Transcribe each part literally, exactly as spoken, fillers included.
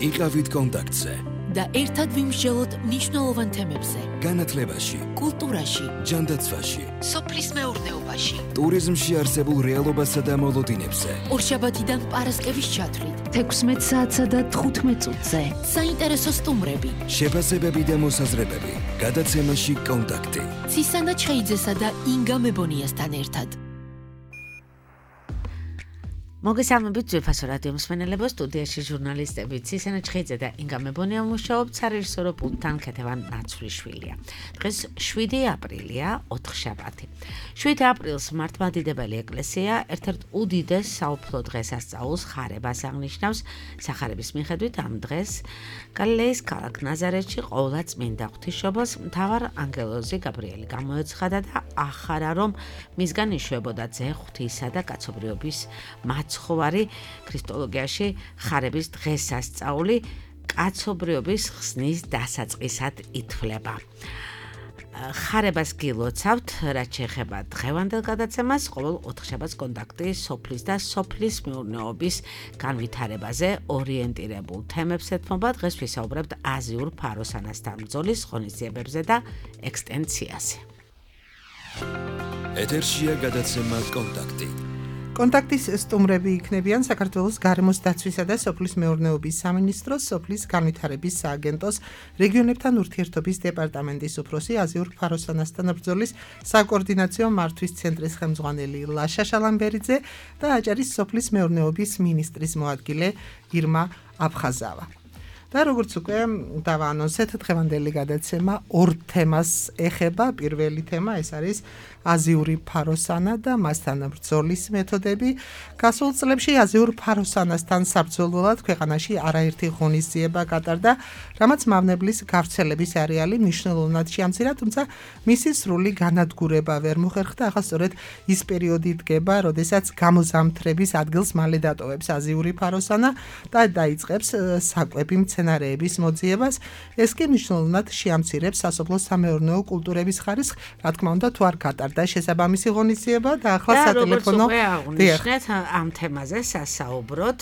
იყავით კონტაქტზე და ერთად ვიმსჯელოთ მნიშვნელოვან თემებზე. განათლებაში, კულტურაში, ჯანდაცვაში, სოფლის მეურნეობაში, ტურიზმში არსებულ რეალობასა და მოლოდინებზე. ორშაბათიდან პარასკევის ჩათვლით, თექვსმეტ საათსა და თხუთმეტ წუთზე. საინტერესო სტუმრები, შეფასებები და მოსაზრებები. გადაცემაში კონტაქტი. ცისანა ჩხეიძესა და ინგა მებონიასთან ერთად. მოგესალმებით ძვირფასო რადიო მსმენელებო, სტუდიაში ჟურნალისტები ცისანა ჩხეიძე და ინგა მებონია მუშაობთ, სარეჟისორო პულტთან ქეთევან ნაცვლიშვილია. დღეს შვიდი აპრილია, ოთხშაბათი. შვიდი აპრილს მართლმადიდებელი ეკლესია ერთ-ერთ უდიდეს საუფლო დღესასწაულს ხარებას აღნიშნავს. სახარების მიხედვით ამ დღეს გალილეის ქალაქ ნაზარეთში ყოვლადწმინდა ღვთისმშობელს მთავარ ანგელოზი გაბრიელი გამოეცხადა და ახარა, რომ მისგან იშვებოდა ძე ღვთისა და კაცობრიობის მაცხოვარი ქრისტოლოგიაში ხარების დღესასწაული კაცობრიობის ხსნის დასაწყისად ითვლება. ხარებას გილოცავთ, რაც შეეხება დღევანდელ გადაცემას, ყოველ ოთხშაბათს კონტაქტი სოფლის და სოფლის მეურნეობის განვითარებაზე ორიენტირებულ თემებს ეთმობა. დღეს ვისაუბრებთ აზიურ ფაროსანასთან ბრძოლის ღონისძიებებზე და ექსტენსიაზე. ეთერშია გადაცემა კონტაქტი. კონტაქტის სტუმრები იქნებიან საქართველოს გარემოს დაცვისა და სოფლის მეურნეობის სამინისტროს, სოფლის განვითარების სააგენტოს, რეგიონებთან ურთიერთობის დეპარტამენტის უფროსი, აზიურ ფაროსანასთან ბრძოლის საკოორდინაციო მართვის ცენტრის ხელმძღვანელი ლაშა შალამბერიძე და აჭარის სოფლის მეურნეობის მინისტრის მოადგილე ირმა აფხაზავა. და როგორც უკვე დავაანონსეთ, დღევანდელი გადაცემა ორ თემას ეხება. პირველი თემა ეს არის აზიური ფაროსანა და მასთან ბრძოლის მეთოდები. გასულ წლებში აზიურ ფაროსანასთან საბრძოლველად ქვეყანაში არაერთი ღონისძიება გატარდა, რამაც მავნებლის გავრცელების არეალი მნიშვნელოვნად შეამცირა, თუმცა მისი სრული განადგურება ვერ მოხერხდა. ახლა სწორედ ის პერიოდი დგება, როდესაც გამოზამთრების ადგილს მალე დატოვებს აზიური ფაროსანა და დაიწყებს საკვები მცენარეების მოძიებას. ეს კი მნიშვნელოვნად შეამცირებს სასოფლო-სამეურნეო კულტურების ხარისხს, რა თქმა უნდა, თუ არ გატარდა და შესაბამისი ღონისძიება და ახლა სატელეფონო დიახ ამ თემაზე სასაუბროთ.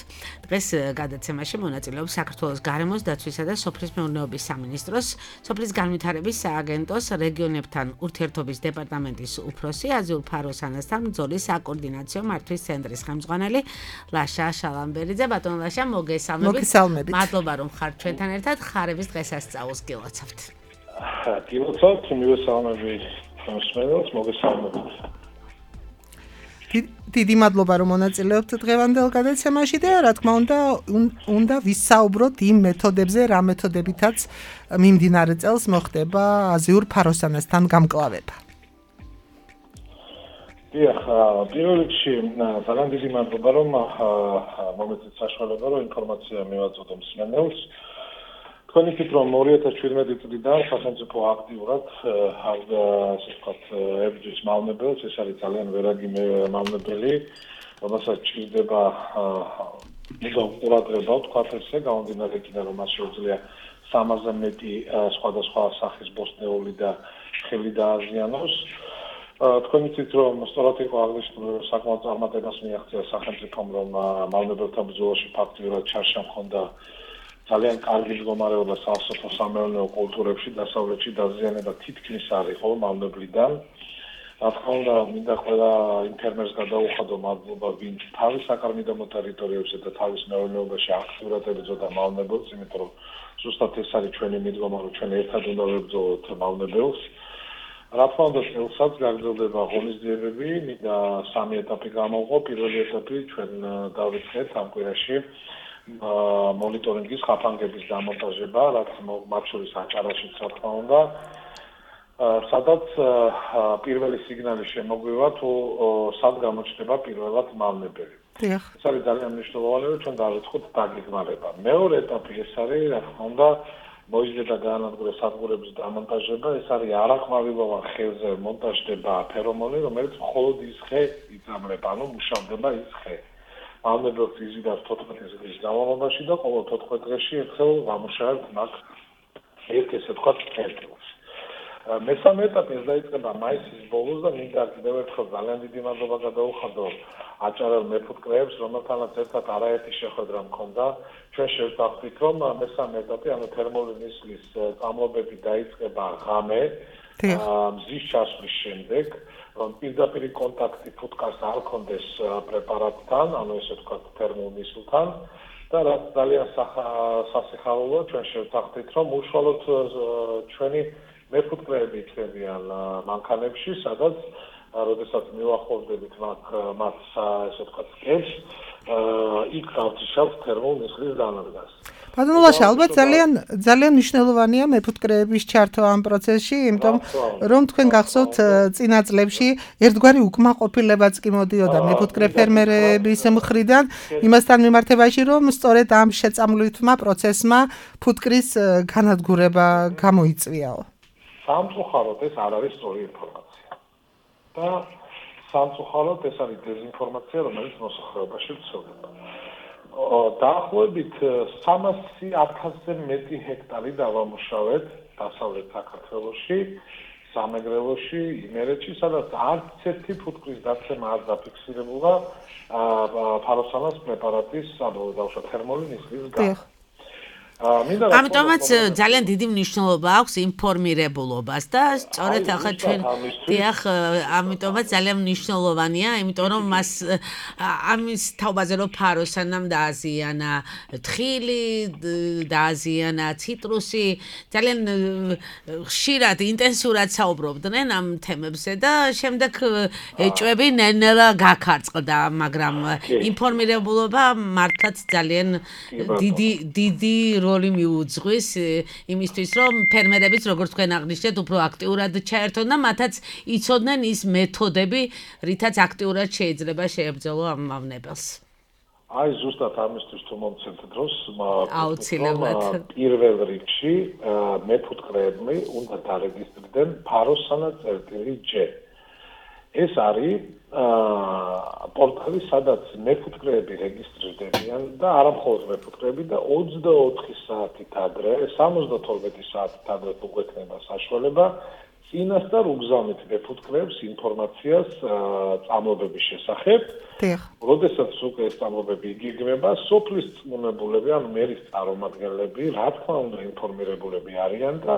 დღეს გადაცემაში მონაწილეობს საქართველოს გარემოს დაცვისა და სოფლის მეურნეობის სამინისტროს, სოფლის განვითარების სააგენტოს, რეგიონებთან ურთიერთობის დეპარტამენტის უფროსი, აზიურ ფაროსანასთან ბრძოლის საკოორდინაციო მართვის ცენტრის ხელმძღვანელი ლაშა შალამბერიძე. ბატონო ლაშა, მოგესალმებით. მადლობა რომ ხართ ჩვენთან ერთად. ხარების დღესასწაულს გილოცავთ. გილოცავთ, მივესალმები მსმენელს, მოგესალმებით. დიდი მადლობა რომ მონაწილეობთ დღევანდელ გადაცემაში და რა თქმა უნდა უნდა ვისაუბროთ იმ მეთოდებზე, რა მეთოდებითაც მიმდინარე წელს მოხდება აზიურ ფაროსანასთან გამკლავება. დიახ, პირველ რიგში ძალიან დიდი მადლობა რომ მომეწეთ საშუალება რომ ინფორმაცია მივაწოდო მსმენელს. თქვენი თვით რომ ორი ათას შვიდმეტი წლიდან სახელმწიფო აქტიურად აღდა ასე ვთქვათ ებრძვის მავნებელს, ეს არის ძალიან ვერაგი მავნებელი, რომელსაც ჭირდება მუდამ ყურადღება ვთქვათ ესე, გამომდინარე იქიდან რომ მას შეუძლია სამაზე მეტი სხვადასხვა სახის ბოსტნეული და ხილი დააზიანოს. თქვენი თვით რომ სწორად იყო აღნიშნული საკმაოდ წარმატებას მიაღწია სახელმწიფომ რომ მავნებელთა ბრძოლაში ფაქტიურად ჩარშა მქონდა ძალიან კარგი მდგომარეობა სასოფლო-სამეურნეო კულტურებში, დასავლეთში დაზიანება თითქმის არ იყო მავნებლიდან. რა თქმა უნდა, მინდა ყველა იმ ფერმერს გადაუხადო მადლობა, ვინც თავის საკარმიდამო ტერიტორიებზე და თავის მეურნეობაში აქტიურად ებრძოდა მავნებელს, იმიტომ რომ ზუსტად ეს არის ჩვენი მიდგომა, რომ ჩვენ ერთად უნდა ვებრძოლოთ მავნებელს. რა თქმა უნდა, წელსაც გაგრძელდება ღონისძიებები, მინდა სამი ეტაპი გამოვყო. პირველი ეტაპი ჩვენ დავიწყეთ ამ კვირაში მონიტორინგის ხაფანგების დამონტაჟება, რაც მათ შორის აჭარაშიც რა თქმა უნდა, სადაც პირველი სიგნალი შემოგვივა თუ სად გამოჩნდება პირველად მავნებელი. ეს არის ძალიან მნიშვნელოვანი, რომ ჩვენ დავიწყოთ დაგეგმარება. მეორე ეტაპი ეს არის, რა თქმა უნდა, მოიზრდა გაანადგურა სადგურების დამონტაჟება, ეს არის არაყმავილოვან ხეზე მონტაჟდება ფერომონი, რომელიც მხოლოდ ის ხე იწამლება, ანუ მუშავდება ის ხე. მავნებელს იზიდავს თოთხმეტი დღის განმავლობაში და ყოველ თოთხმეტ დღეში ერთხელ ვამუშავებთ მაგ ერთ ესე ვთქვათ წერტილს. მესამე ეტაპი ეს დაიწყება მაისის ბოლოს და მინდა კიდევ ერთხელ ძალიან დიდი მადლობა გადაუხადო აჭარელ მეფუტკრეებს, რომელთანაც ერთად არაერთი შეხვედრა მქონდა. ჩვენ შევთანხმდით, რომ მესამე ეტაპი, ანუ თერმული ნისლის წამლობები დაიწყება ღამე, მზის ჩასვლის შემდეგ, რომ პირდაპირ კონტაქტი ფუტკარს არ ქონდეს პრეპარატთან, ანუ ესე ვთქვათ თერმულ ნისლთან. და რაც ძალიან სასიხარულოა, ჩვენ შევთანხმდით, რომ უშუალოდ ჩვენი მეფუტკრეები იქნებიან მანქანებში, სადაც როდესაც მივახლოვდებით მათ ესე ვთქვათ სკებს, იქ გავთიშავთ თერმულ ნისლის დანადგას. ბატონო ლაშა, ალბათ ძალიან ძალიან მნიშვნელოვანია მეფუტკრეების ჩართვა ამ პროცესში, იმიტომ რომ თქვენ გახსოვთ წინა წლებში ერთგვარი უკმაყოფილებაც კი მოდიოდა მეფუტკრე ფერმერების მხრიდან იმასთან მიმართებაში, რომ სწორედ ამ შეწამლვითმა პროცესმა ფუტკრის განადგურება გამოიწვიაო. სამწუხაროდ ეს არ არის სწორი ინფორმაცია. და სამწუხაროდ ეს არის დეზინფორმაცია, რომელიც მოსახლეობაში ვრცელდება. დაახლოებით სამასი ათასზე მეტი ჰექტარი დავამუშავეთ დასავლეთ საქართველოში, სამეგრელოში, იმერეთში, სადაც არც ერთი ფუტკრის დაცემა არ დაფიქსირებულა ფაროსანას პრეპარატის, ანუ დავუშვათ თერმული ნისლის გამო. ამიტომაც ძალიან დიდი მნიშვნელობა აქვს ინფორმირებულობას და სწორედ ახლა ჩვენ დიახ, ამიტომაც ძალიან მნიშვნელოვანია, იმიტომ რომ მას ამის თაობაზე რომ ფაროსანამ დააზიანა თხილი, დააზიანა ციტრუსი, ძალიან ხშირად ინტენსიურად საუბრობდნენ ამ თემებზე და შემდეგ ეჭვები ნელ-ნელა გაქარწყლდა, მაგრამ ინფორმირებულობა მართლაც ძალიან დიდი დიდი როლი მიუძღვის იმისთვის, რომ ფერმერებიც, როგორც თქვენ აღნიშნეთ, უფრო აქტიურად ჩაერთონ და მათაც იცოდნენ ის მეთოდები, რითაც აქტიურად შეიძლება შეებრძოლო ამ მავნებელს. აი, ზუსტად ამისთვის თუ მომცემთ დროს, აუცილებლად. პირველ რიგში მეფუტკრეები უნდა დარეგისტრირდნენ ფაროსანა წერტილი ჯე. ეს არის პორტალი, სადაც მეფუტკრეები რეგისტრირდებიან და არა მხოლოდ მეფუტკრეები და ოცდაოთხი საათით ადრე, სამოცდათორმეტი საათით ადრე უგვექნება საშუალება წინასწარ უგზავნით მეფუტკრეებს ინფორმაციას წამლობების შესახებ. როდესაც უკვე ეს წამლობები იგეგმება, სოფლის წმუნებულები, ანუ მერის წარმომადგენლები, რა თქმა უნდა ინფორმირებულები არიან და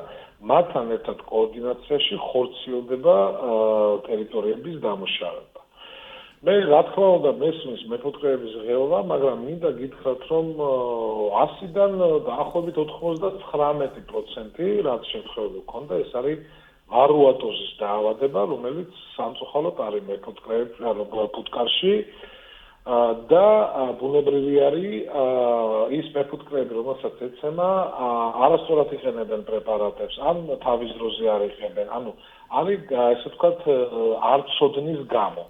მათთან ერთად კოორდინაციაში ხორციელდება ტერიტორიების დამუშავება. მე რა თქმა უნდა მესმის მეფუტკრეების ღეობა, მაგრამ მინდა გითხრათ, რომ ასიდან დაახლოებით ოთხმოცდათხრამეტი პროცენტი რაც შემთხვევები ქონდა, ეს არის ვარუატოზის დაავადება, რომელიც სამწუხაროდ არის მეფუტკრეებს, ანუ ფუტკარში და ბუნებრივი არის ის მეფუტკრეები, რომელსაც ეცემა, არასწორად იყენებენ პრეპარატებს, ან თავის დროზე არ იყენებენ, ანუ არის ესე ვთქვათ არ ცოდნის გამო.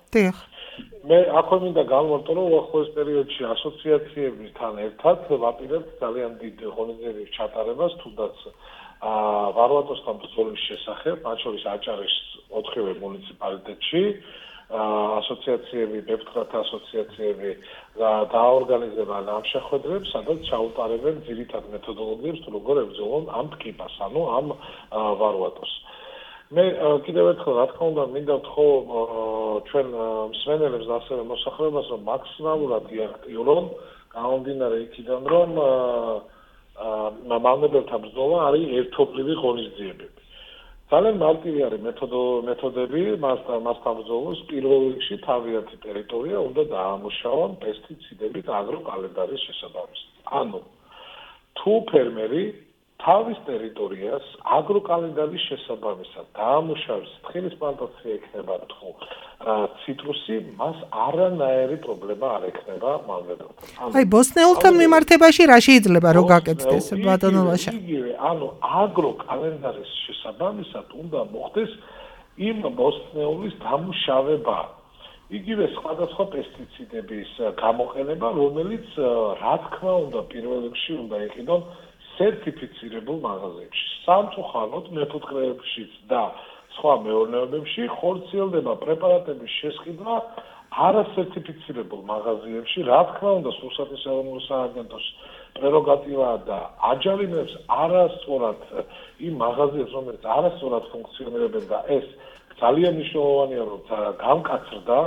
მე აქვე მინდა გავმარტო, რომ უახლოეს პერიოდში ასოციაციებთან ერთად ვაპირებთ ძალიან დიდ ღონისძიებების ჩატარებას, თუნდაც ვარუატოსთან ბრძოლის შესახებ, მათ შორის აჭარის ოთხივე მუნიციპალიტეტში, ასოციაციები, მეფუტკრეთა ასოციაციები დააორგანიზებენ ამ შეხვედრებს, სადაც ჩაუტარებენ ძირითად მეთოდოლოგიებს, თუ როგორ ებრძოლონ ამ ტკიპას, ანუ ამ ვარუატოს. მე კიდევ ერთხელ რა თქმა უნდა მინდა ვთქო ჩვენ მსმენელებს და ასევე მოსახლეობას, რომ მაქსიმალურად იაქტიურონ, გამომდინარე იქიდან, რომ მავნებელთა ბრძოლა არის ერთობლივი ღონისძიებები. ძალიან მარტივი არის მეთოდები მასთან ბრძოლოს. პირველ რიგში თავიანთი ტერიტორია უნდა დაამუშავონ პესტიციდებით აგროკალენდარის შესაბამისად. ანუ თუ ფერმერი თავის ტერიტორიას აგროკალენდარის შესაბამისად დაამუშავებს, თხილის პლანტაცია იქნება თუ ციტრუსი, მას არანაირი პრობლემა არ ექნება მავნებელთან. აი, ბოსტნეულთან მიმართებაში რა შეიძლება რომ გაკეთდეს, ბატონო ლაშა? იგივე, ანუ აგროკალენდარის შესაბამისად უნდა მოხდეს იმ ბოსტნეულის დამუშავება. იგივე სხვადასხვა პესტიციდების გამოყენება, რომელიც რა თქმა უნდა პირველ რიგში უნდა იყიდონ სერტიფიცირებულ მაღაზიებში. სამწუხაროდ მეფუტკრეებშიც და სხვა მეურნეობებში ხორციელდება პრეპარატების შესყიდვა არასერტიფიცირებულ მაღაზიებში, რა თქმა უნდა, სურსათის ეროვნული სააგენტოს პრეროგატივაა და აჯანყებს არასწორად იმ მაღაზიებს, რომელიც არასწორად ფუნქციონირებენ და ეს ძალიან მნიშვნელოვანია, რომ გამკაცრდა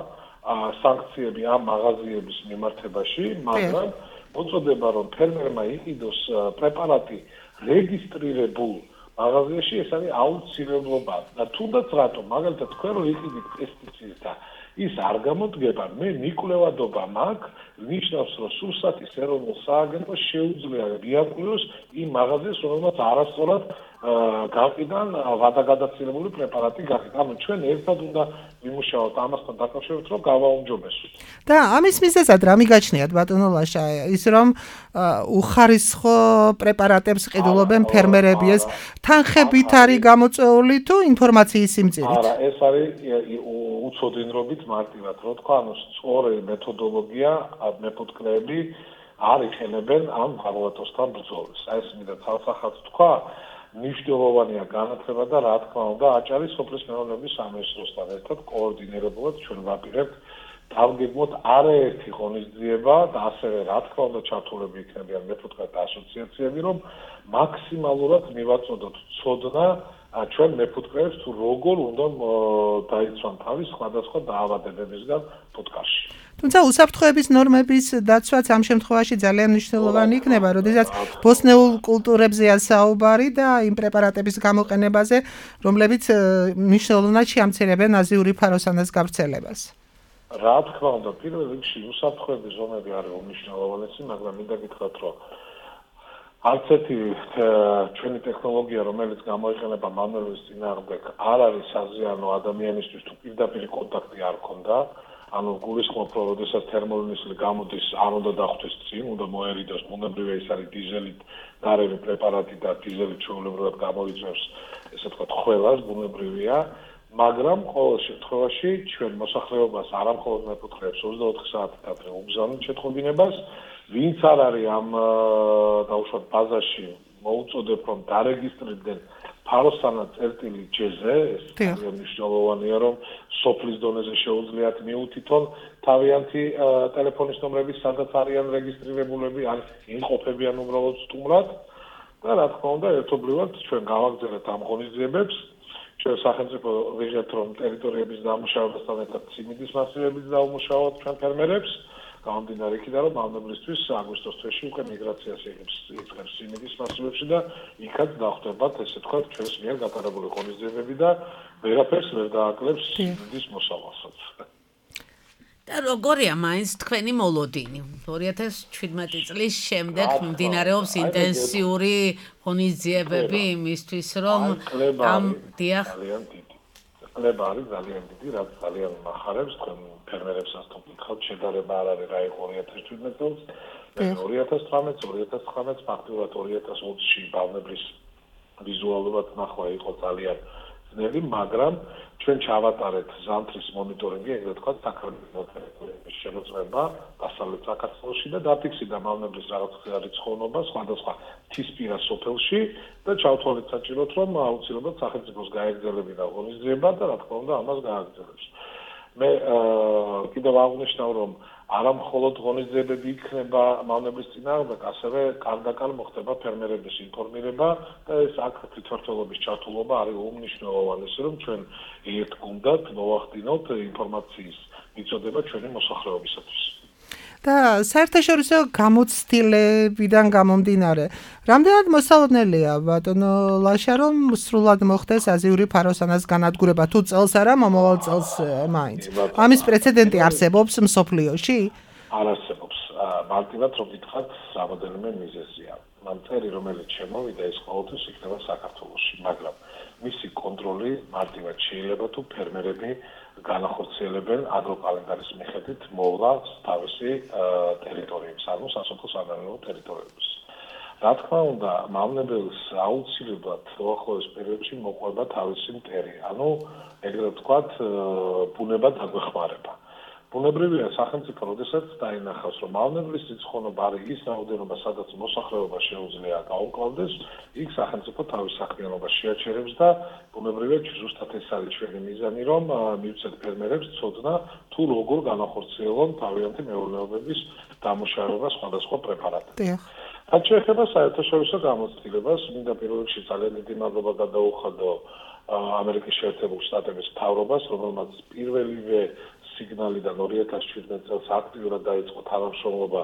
სანქციები ამ მაღაზიების მიმართებაში, მაგრამ მოწოდება, რომ ფერმერმა იყიდოს პრეპარატი რეგისტრირებულ მაღაზიაში, ეს არის აუცილებლობა და თუნდაც რატომ, მაგალითად, თქვენ რომ იყიდით პესტიციდს და ის არ გამოდგება, მე მიკვლევადობა მაქვს, ნიშნავს, რომ სურსათის ეროვნულ სააგენტოს შეუძლია მიაკვლევოს იმ მაღაზიას, რომელმაც არასწორად გაყიდან ვადაგადაცილებული პრეპარატი გაყიდა. ანუ ჩვენ ერთად უნდა ვიმუშაოთ ამასთან დაკავშირებით, რომ გავაუმჯობესოთ. და ამის მიზეზად რა მიგაჩნიათ ბატონო ლაშა, ის რომ უხარისხო პრეპარატებს ყიდულობენ ფერმერები, ეს თანხებით არის გამოწვეული თუ ინფორმაციის სიმწირით? არა, ეს არის უცოდინრობით მარტივად, რო თქვა, ანუ სწორი მეთოდოლოგია მეფუტკრეები არ იყენებენ ამ ვარვატოსთან ბრძოლას. აი ეს მინდა თავსახად თქვა, მნიშვნელოვანია განათლება და რა თქმა უნდა, აჭარის სოფლის მეურნეობის სამინისტროსთან ერთად კოორდინირებულად ჩვენ ვაპირებთ დავგეგმოთ არაერთი ღონისძიება და ასევე რა თქმა უნდა ჩართულები იქნებიან მეფუტკრეთა ასოციაციები, რომ მაქსიმალურად მივაწოდოთ ცოდნა ჩვენ მეფუტკრეებს თუ როგორ უნდა დაიცვან თავის სხვადასხვა დაავადებებისგან ფუტკარში. თუმცა უსაფრთხოების ნორმების დაცვაც ამ შემთხვევაში ძალიან მნიშვნელოვანი იქნება, როდესაც ბოსნეულ კულტურებზეა საუბარი და იმ პრეპარატების გამოყენებაზე, რომლებიც მნიშვნელოვნად შეამცირებენ აზიური ფაროსანას გავრცელებას. რა თქმა უნდა, პირველ რიგში უსაფრთხოების ზონები არის უმნიშვნელოვანესი, მაგრამ მინდა გითხრათ, რომ არც ერთი ჩვენი ტექნოლოგია, რომელიც გამოიყენება მანუელის წინააღმდეგ, არ არის საზიანო ადამიანისთვის თუ პირდაპირ კონტაქტი არ ქონდა. ანუ გულისხმობ, რომ როდესაც თერმოილინისლი გამოდის, არ უნდა დახვდეს წინ, უნდა მოერიდოს, ბუნებრივია ის არის დიზელით გარემი პრეპარატი და დიზელი ჩვეულებრივად გამოიწვევს, ესე ვთქვათ, ხველას, ბუნებრივია, მაგრამ ყოველ შემთხვევაში ჩვენ მოსახლეობას არამხოლოდ მეფუტკრეებს ოცდაოთხი საათით ადრე უბრძანოთ შეტყობინებას, ვინც არ არის ამ დაუშვათ ბაზაში მოუწოდებ, რომ დარეგისტრირდნენ ფაროსანა წერტილი ჯეზე, ეს ძალიან მნიშვნელოვანია, რომ სოფლის დონეზე შეუძლიათ მიუთითონ თავიანთი ტელეფონის ნომრები, სადაც არიან რეგისტრირებულები, ან იმყოფებიან უბრალოდ სტუმრად და რა თქმა უნდა, ერთობლივად ჩვენ გავაგზავნეთ ამ ღონისძიებებს. ჩვენ სახელმწიფო ვიღებთ, რომ ტერიტორიების დამუშავებასთან ერთად სიმინდის მასივებიც დავუმუშავოთ ჩვენ ფერმერებს. გამომდინარე იქიდან, რომ მავნებლისთვის აგვისტოს თვეში უკვე მიგრაციას იწყებს სიმინდის მასივებში და იქაც დახვდებათ, ესე ვთქვათ, ჩვენს მიერ გატარებული ღონისძიებები და ვერაფერს ვერ დააკლებს სიმინდის მოსავალსაც. და როგორია მაინც თქვენი მოლოდინი? ორი ათას შვიდმეტი წლის შემდეგ მიმდინარეობს ინტენსიური ღონისძიებები იმისთვის, რომ ამ დიახ კლება არის ძალიან დიდი, რაც ძალიან მახარებს თქვენ ფერმერებსაც თუ გითხავთ, შედარება არ არის რა იყო ორი ათას შვიდმეტი წელს, ორი ათას თვრამეტი, ორი ათას ცხრამეტი, ფაქტობრივად ორი ათას ოცი ბავნებლის ვიზუალურად ნახვა იყო ძალიან ძნელი, მაგრამ ჩვენ ჩავატარეთ ზამთრის მონიტორინგი, ეგრეთ ვთქვათ, საქართველოს შემოწმება დასავლეთ საქართველოში და დაფიქსირდა მავნებლის რაღაცა რიცხოვნობა სხვადასხვა მთისპირა სოფელში და ჩავთვალეთ საჭიროდ, რომ აუცილებლად სახელმწიფოს გაეგრძელებინა ღონისძიება და რა თქმა უნდა ამას გააგრძელებს. მე კიდევ აღნიშნავ, რომ არა მხოლოდ ღონისძიებები იქნება მავნებლის წინააღმდეგ, ასევე კარდაკარ მოხდება ფერმერების ინფორმირება და ეს აქ თვითმმართველობის ჩართულობა არის უმნიშვნელოვანესი, რომ ჩვენ ერთგულად მოვახდინოთ ინფორმაციის მიწოდება ჩვენი მოსახლეობისათვის. და საერთაშორისო გამოცდილებიდან გამომდინარე, რამდენად მოსალოდნელია ბატონო ლაშა, რომ სრულად მოხდეს აზიური ფაროსანას განადგურება, თუ წელს არა, მომავალ წელს მაინც. ამის პრეცედენტი არსებობს მსოფლიოში? არ არსებობს. მარტივად რომ გითხრათ, რამოდენიმე მიზეზია. მანწერი, რომელიც შემოვიდა, ეს ყოველთვის იქნება საქართველოში, მაგრამ მისი კონტროლი მარტივად შეიძლება თუ ფერმერები განახორციელებენ აგროკალენდარის მიხედვით მოვლა თავისი ტერიტორიებს, ანუ სასოფლო სამეურნეო ტერიტორიებს. რა თქმა უნდა, მავნებელს აუცილებლად უახლოეს პერიოდში მოყვება თავისი მტერი, ანუ ეგრეთ ვთქვათ, ბუნება დაგვეხმარება. ბუნებრივია სახელმწიფო როდესაც დაინახავს, რომ მავნებლის რიცხოვნობა არის ის რაოდენობა, სადაც მოსახლეობა შეუძლია გაუკლავდეს, იქ სახელმწიფო თავის საქმიანობას შეაჩერებს და ბუნებრივია ზუსტად ეს არის ჩვენი მიზანი, რომ მივცეთ ფერმერებს ცოდნა თუ როგორ განახორციელონ თავიანთი მეურნეობების დამუშავება სხვადასხვა პრეპარატებით. რაც შეეხება საერთაშორისო გამოცდილებას, მინდა პირველ რიგში ძალიან დიდი მადლობა გადაუხადო ამერიკის შეერთებულ შტატების მთავრობას, რომელმაც პირველივე სიგნალიდან ორი ათას შვიდმეტ წელს აქტიურად დაიწყო თანამშრომლობა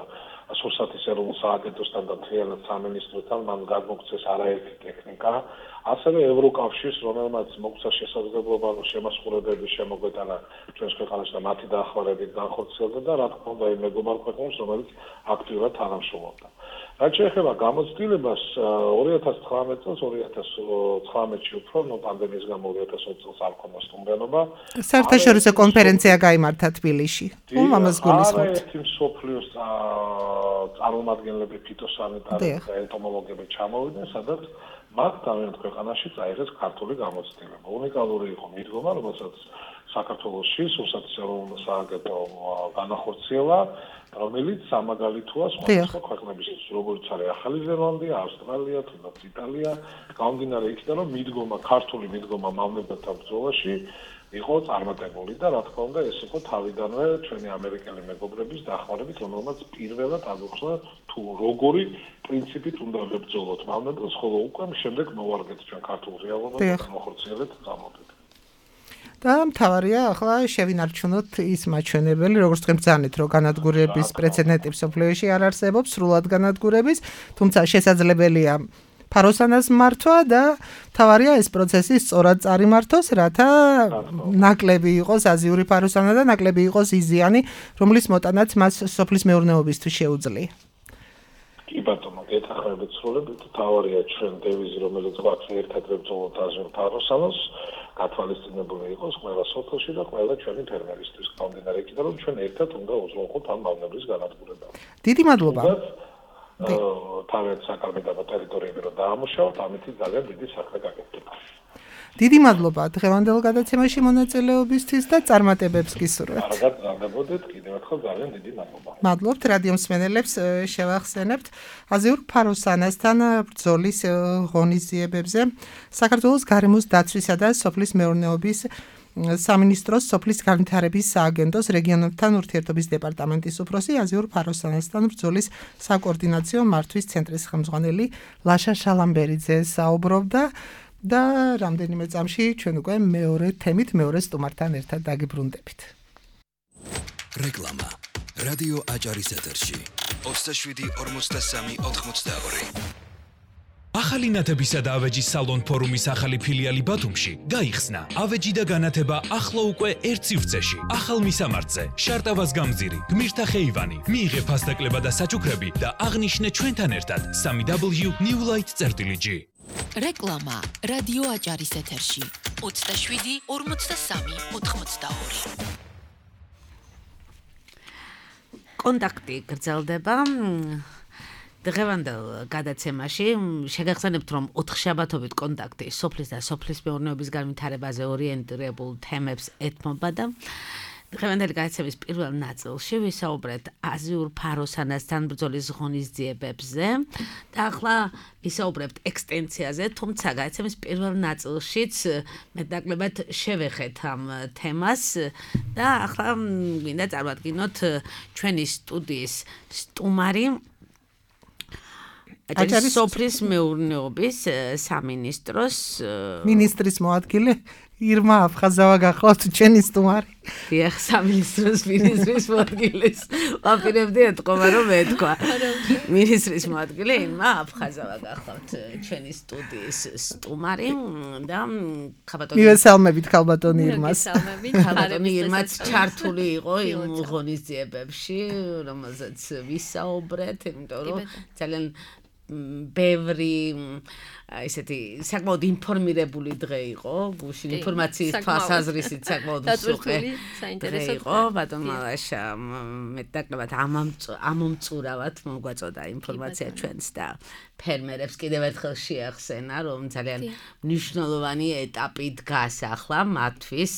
სურსათის ეროვნულ სააგენტოსთან და მთლიანად სამინისტროსთან, მან გადმოგვცეს არაერთი ტექნიკა, ასევე ევროკავშირს, რომელმაც მოგვცა შესაძლებლობა შემასრულებლების შემოგვეტანა ჩვენს ქვეყანაში და მათი დახმარებით განხორციელდა და რა თქმა უნდა იმ მეგობარ ქვეყნებს, რომელიც აქტიურად თანამშრომლობდა. რაც შეეხება გამოცდილებას, ორი ათას ცხრამეტ წელს, ორი ათას ცხრამეტში უფრო, ნუ პანდემიის გამო ორი ათას ოცი წელს არ ქონდა სტუმრიანობა. საერთაშორისო კონფერენცია გაიმართა თბილისში. უმამას გულისხმობთ. არაერთი მსოფლიოს წარმომადგენლები, ფიტოსანიტარები და ენტომოლოგები ჩამოვიდნენ, სადაც მათ თავიანთ ქვეყანაში წაიღეს ქართული გამოცდილება. უნიკალური იყო მიდგომა, რომელსაც საქართველოში სურსათის ეროვნულ სააგენტო განახორციელა, რომელიც სამაგალითოა სხვადასხვა ქვეყნებისთვის, როგორც არის ახალი ზელანდია, ავსტრალია, თუნდაც იტალია, გამომდინარე იქიდან, რომ მიდგომა, ქართული მიდგომა მავნებელთა ბრძოლაში იყო წარმატებული და რა თქმა უნდა ეს იყო თავიდანვე ჩვენი ამერიკელი მეგობრების დახმარებით, რომელმაც პირველად აღუხსნა თუ როგორი პრინციპით უნდა ვებრძოლოთ მავნებელს, ხოლო უკვე შემდეგ მოვარგეთ ჩვენ ქართულ რეალობაზე და მოხორციელეთ გამოდით. და მთავარია ახლა შევინარჩუნოთ ის მაჩვენებელი, როგორც თქვენ ბრძანეთ, რომ განადგურების პრეცედენტი მსოფლიოში არ არსებობს, სრულად განადგურების, თუმცა შესაძლებელია ფაროსანას მართვა და მთავარია ეს პროცესი სწორად წარიმართოს, რათა ნაკლები იყოს აზიური ფაროსანა და ნაკლები იყოს იზიანი, რომლის მოტანაც მას სოფლის მეურნეობისთვის შეუძლია. კი ბატონო, გეთახმებით სრულებით, მთავარია ჩვენ დევიზი, რომელიც გვაქვს ერთად ვებრძოლოთ აზიურ ფაროსანას, გათვალისწინებული იყოს ყველა სოფელში და ყველა ჩვენი ფერმერისთვის. გამომდინარე იქიდან, რომ ჩვენ ერთად უნდა უზრუნველყოთ ამ მავნებლის განადგურება. დიდი მადლობა. თავად საკალმედო ტერიტორიები რომ დაამუშავოთ, ამით ძალიან დიდი საქმე გაკეთდება. დიდი მადლობა დღევანდელ გადაცემაში მონაწილეობისთვის და წარმატებებს გისურვებთ. კარგად გაგებოდეთ, კიდევ ერთხელ ძალიან დიდი მადლობა. მადლობთ რადიო მსმენელებს, შევახსენებთ აზიურ ფაროსანასთან ბრძოლის ღონისძიებებზე საქართველოს გარემოს დაცვისა და სოფლის მეურნეობის სამინისტროს სოფლის განვითარების სააგენტოს რეგიონებთან ურთიერთობის დეპარტამენტის უფროსი აზიურ ფაროსანასთან ბრძოლის საკოორდინაციო მართვის ცენტრის ხელმძღვანელი ლაშა შალამბერიძე საუბრობდა და რამდენიმე წამში ჩვენ უკვე მეორე თემით მეორე სტუმართან ერთად დაგიბრუნდებით. რეკლამა რადიო აჭარის ეთერში ოცდაშვიდი ორმოცდასამი ოთხმოცდაორი ახალი ნათებისა და ავეჯის სალონ ფორუმის ახალი ფილიალი ბათუმში გაიხსნა. ავეჯი და განათება ახლა უკვე ერთ სივრცეში. ახალ მისამართზე, შარტავას გამზირი, გმირთა ხეივანი, მიიღე ფასდაკლება და საჩუქრები და აღნიშნე ჩვენთან ერთად სამი დაბლიუ ნიუ ლაით წერტილი ჯი. რეკლამა რადიო აჭარის ეთერში ოცდაშვიდი ორმოცდასამი ოთხმოცდაორი. კონტაქტი გრძელდება. დღევანდელ გადაცემაში შეგახსენებთ, რომ ოთხშაბათობით კონტაქტი სოფლის და სოფლის მეურნეობის განვითარებაზე ორიენტირებულ თემებს ეთმობა და დღევანდელი გადაცემის პირველ ნაწილში ვისაუბრეთ აზიურ ფაროსანასთან ბრძოლის ღონისძიებებზე და ახლა ვისაუბრებთ ექსტენსიაზე, თუმცა გადაცემის პირველ ნაწილშიც მეტნაკლებად შევეხეთ ამ თემას და ახლა გვინდა წარმატკინოთ ჩვენი სტუდიის სტუმარი აჭარის სოფლის მეურნეობის სამინისტროს მინისტრის მოადგილე ირმა აფხაზავა გახლავთ ჩვენი სტუმარი. დიახ, სამინისტროს მინისტრის მოადგილეს ვაპირებდი ეთქობა რომ ეთქვა. მინისტრის მოადგილე ირმა აფხაზავა გახლავთ ჩვენი სტუდიის სტუმარი და ხაბატონი მივესალმებით ხალბატონი ირმას. ხალბატონი ირმაც ჩართული იყო იმ ღონისძიებებში, რომელზეც ვისაუბრეთ, იმიტომ რომ ძალიან ბევრი ესეთი საკმაოდ ინფორმირებული დღე იყო, გუშინ ინფორმაციის თვალსაზრისით საკმაოდ მსუყე საინტერესო იყო, ბატონ მალაშა მეტნაკლებად ამომწურავად მოგვაწოდა ინფორმაცია ჩვენს და ფერმერებს კიდევ ერთხელ შეახსენა, რომ ძალიან მნიშვნელოვანი ეტაპი დგას ახლა მათთვის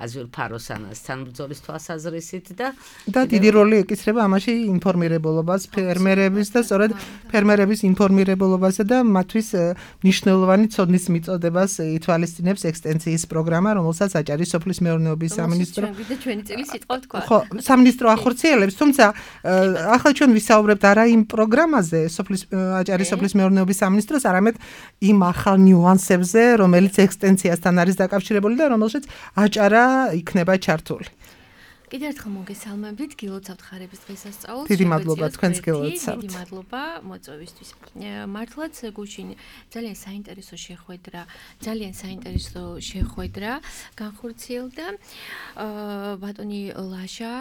აზიურ ფაროსანასთან ბრძოლის თვალსაზრისით და და დიდი როლი ეკისრება ამაში ინფორმირებულობას ფერმერების და სწორედ ფერმერების ინფორმირებულობასა და მათთვის მნიშვნელოვანი ცოდნის მიწოდებას ითვალისწინებს ექსტენსიის პროგრამა, რომელსაც აჭარის სოფლის მეურნეობის სამინისტრო ჩვენი წელი სიტყვა თქვა. ხო, სამინისტრო ახორციელებს, თუმცა ახლა ჩვენ ვისაუბრებთ არა იმ პროგრამაზე, სოფლის აჭარის სოფლის მეურნეობის სამინისტროს, არამედ იმ ახალ ნიუანსებზე, რომელიც ექსტენსიასთან არის დაკავშირებული და რომელშიც აჭარა იქნება ჩართული. კიდევ ერთხელ მოგესალმებით, გილოცავთ ხარების დღესასწაულს. დიდი მადლობა თქვენს გილოცავთ. დიდი მადლობა მოწვევისთვის. მართლაც გუშინ ძალიან საინტერესო შეხვედრა, ძალიან საინტერესო შეხვედრა განხორციელდა. ბატონი ლაშა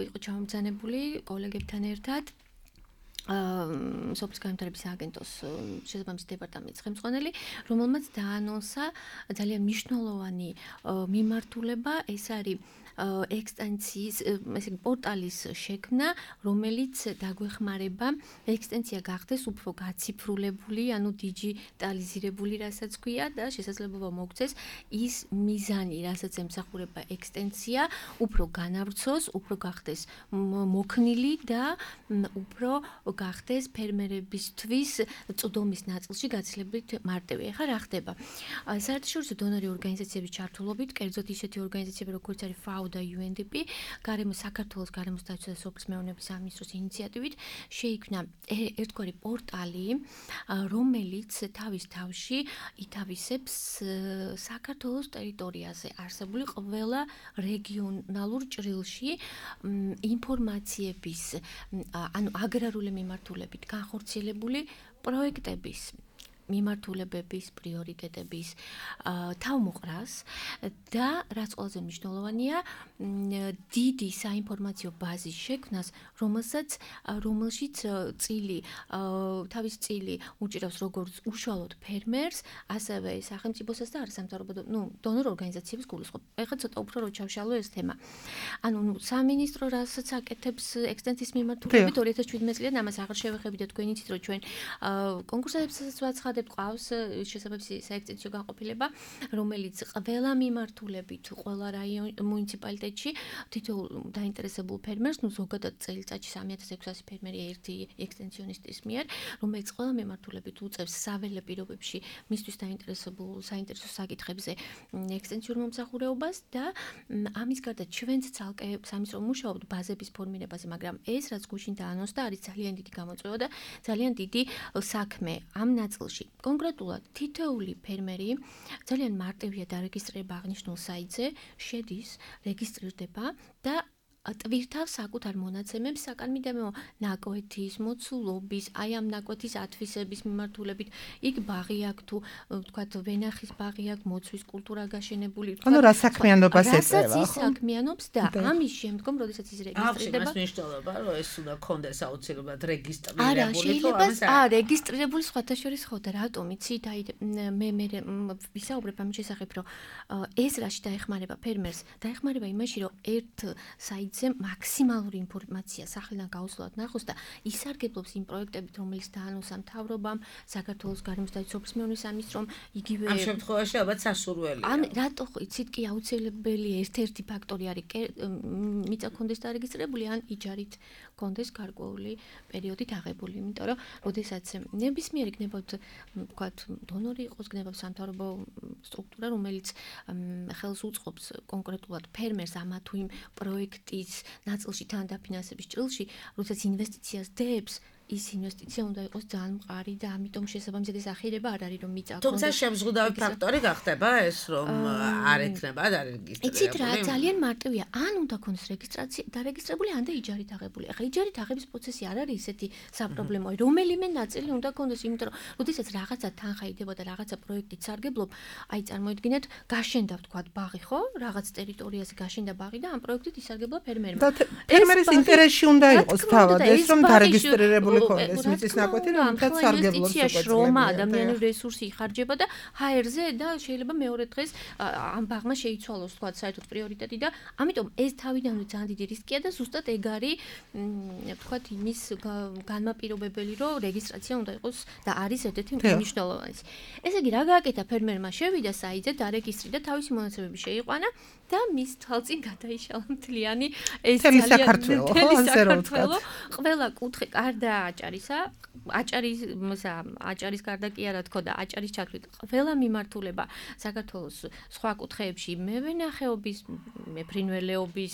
იყო ჩამომბრძანებული კოლეგებთან ერთად. სოფლის განვითარების აგენტოს შესაბამისი დეპარტამენტის ხელმძღვანელი, რომელმაც დაანონსა ძალიან მნიშვნელოვანი მიმართულება, ეს არის ექსტენსიის ესე პორტალის შექმნა, რომელიც დაგვეხმარება ექსტენსია გახდეს უფრო გაციფრულებული, ანუ დიჯიტალიზირებული, რასაც ქვია და შესაძლებლობა მოგცეს ის მიზანი, რასაც ემსახურება ექსტენსია, უფრო განავრცოს, უფრო გახდეს მოქნილი და უფრო გახდეს ფერმერებისთვის წვდომის ნაწილში გაცილებით მარტივი. ეხლა რა ხდება? საერთაშორისო დონორი ორგანიზაციების ჩართულობით, კერძოდ ისეთი ორგანიზაციები, როგორც არის ფაო და იუ ენ დი პი, გარემო საქართველოს გარემოს დაცვა და სოფლის მეურნეობის სამინისტროს ინიციატივით შეიქმნა ერთგვარი პორტალი, რომელიც თავის თავში ითავისებს საქართველოს ტერიტორიაზე არსებული ყველა რეგიონალურ ჭრილში ინფორმაციების, ანუ აგრარული მიმართულებით განხორციელებული პროექტების მიმართულებების, პრიორიტეტების თავმოყრას და რაც ყველაზე მნიშვნელოვანია, დიდი საინფორმაციო ბაზის შექმნას, რომელსაც რომელშიც წილი, თავის წილი უჭირავს როგორც უშუალოდ ფერმერს, ასევე სახელმწიფოსაც და არასამთავრობო, ну, დონორ ორგანიზაციებს გულისხმობ. ეხლა ცოტა უფრო რო ჩავშალო ეს თემა. ანუ სამინისტრო რასაც აკეთებს ექსტენსიის მიმართულებით ორი ათას შვიდმეტი წლიდან ამას აღარ შევეხებიდეთ, თქვენ იცით, რომ ჩვენ კონკურსებსაც ვაცხადებთ, ყავს შესაბამისი საექსტენსიო განყოფილება, რომელიც ყველა მიმართულებით, ყველა რაიონ მუნიციპალიტეტში თითოეულ დაინტერესებულ ფერმერს, ну, ზოგადად წელიწადში სამი ათას ექვსასი ფერმერია ერთი ექსტენსიონისტის მიერ, რომელიც ყველა მიმართულებით უწევს საველე პირობებში მისთვის დაინტერესებულ საინტერესო საკითხებზე ექსტენსიურ მომსახურეობას და ამის გარდა ჩვენც ცალკე სამინისტრო მუშაობთ ბაზების ფორმირებაზე, მაგრამ ეს რაც გუშინ დაანონსდა არის ძალიან დიდი გამოწვევა და ძალიან დიდი საქმე ამ ნაწილში. კონკრეტულად თითოეული ფერმერი ძალიან მარტივია დარეგისტრირება აღნიშნულ საიტზე, შედის, რეგისტრირდება და ტვირთავს საკუთარ მონაცემებს საკანმიდამო ნაკვეთის, მოცულობის, აი ამ ნაკვეთის ათვისების მიმართულებით, იქ ბაღი აქვს თუ ვთქვათ ვენახის ბაღი აქვს, მოცვის კულტურა გაშენებული, ანუ რა საქმიანობას ეწევა, რასაც ის საქმიანობს და ამის შემდგომ, როდესაც ის რეგისტრირდება, აქვს მნიშვნელობა, რომ ეს უნდა კონდეს აუცილებლად რეგისტრირებული, არა, შეიძლება აა რეგისტრირებული სხვათა შორის ხო და რატომ იცით, აი მე მე ვისაუბრებ ამის შესახებ, რომ ეს რაში დაეხმარება ფერმერს, დაეხმარება იმაში, რომ ერთ საიტ მაქსიმალური ინფორმაცია სახელიდან გაუსვლელად ნახოს და ისარგებლობს იმ პროექტებით, რომელიც დაანონსა მთავრობამ, საქართველოს გარემოს დაცვის სოფლის მეურნეობის სამინისტრომ, იგივე ამ შემთხვევაში ალბათ სასურველია. ან რატო იცით კი აუცილებელი ერთ-ერთი ფაქტორი არის მიწა კონდეს დარეგისტრირებული ან იჯარით კონდეს გარკვეული პერიოდით აღებული, იმიტომ რომ როდესაც ნებისმიერ იქნებოდ ვთქვათ დონორი იყოს, იქნება სამთავრობო სტრუქტურა, რომელიც ხელს უწყობს კონკრეტულად ფერმერს ამა თუ იმ პროექტის ნაწილში თან დაფინანსების ჭრილში, როდესაც ინვესტიციას დებს, ის ინვესტიცია უნდა იყოს ძალიან მყარი და ამიტომ შესაბამისად ეს ახირება არ არის რომ მიწა. თუმცა შემზღუდავი ფაქტორი გახდება ეს, რომ არ ექნება დარეგისტრირებული. იცით რა, ძალიან მარტივია. ან უნდა ქონდეს რეგისტრაცია დარეგისტრირებული, ან და იჯარით აღებული. ახლა იჯარით აღების პროცესი არ არის ისეთი საპრობლემოა. რომელიმე ნაწილი უნდა ქონდეს, იმიტომ რომ როდესაც რაღაცა თანხა იდება და რაღაცა პროექტით სარგებლობ, აი წარმოიდგინეთ, გაშენდა ვთქვათ ბაღი, ხო? რაღაც ტერიტორიაზე გაშენდა ბაღი და ამ პროექტით ისარგებლა ფერმერმა. და ფერმერის ინტერესში უნდა იყოს თავად ეს, რომ დარეგისტრირებული მოიქონდეს მიწის ნაკვეთი, რომელთაც სარგებლობს უკვე შრომა, ადამიანური რესურსი იხარჯება და ჰაერზე და შეიძლება მეორე დღეს ამ ბაღმა შეიცვალოს თქვა საერთოდ პრიორიტეტი და ამიტომ ეს თავიდანვე ძალიან დიდი რისკია და ზუსტად ეგ არის თქვა იმის განმაპირობებელი რომ რეგისტრაცია უნდა იყოს და არის ერთ-ერთი მნიშვნელოვანი. ესე იგი რა გააკეთა ფერმერმა შევიდა საიტზე დარეგისტრირდა თავისი მონაცემები შეიყვანა და მის თვალწინ გადაიშალა მთლიანი ეს ძალიან საქართველო ასე რომ ვთქვათ. ყველა კუთხე კარდა აჭარისა, აჭარის აჭარის კარდა კი არა თქო და აჭარის ჩათვლით ყველა მიმართულება საქართველოს სხვა კუთხეებში მევენახეობის, მეფრინველეობის,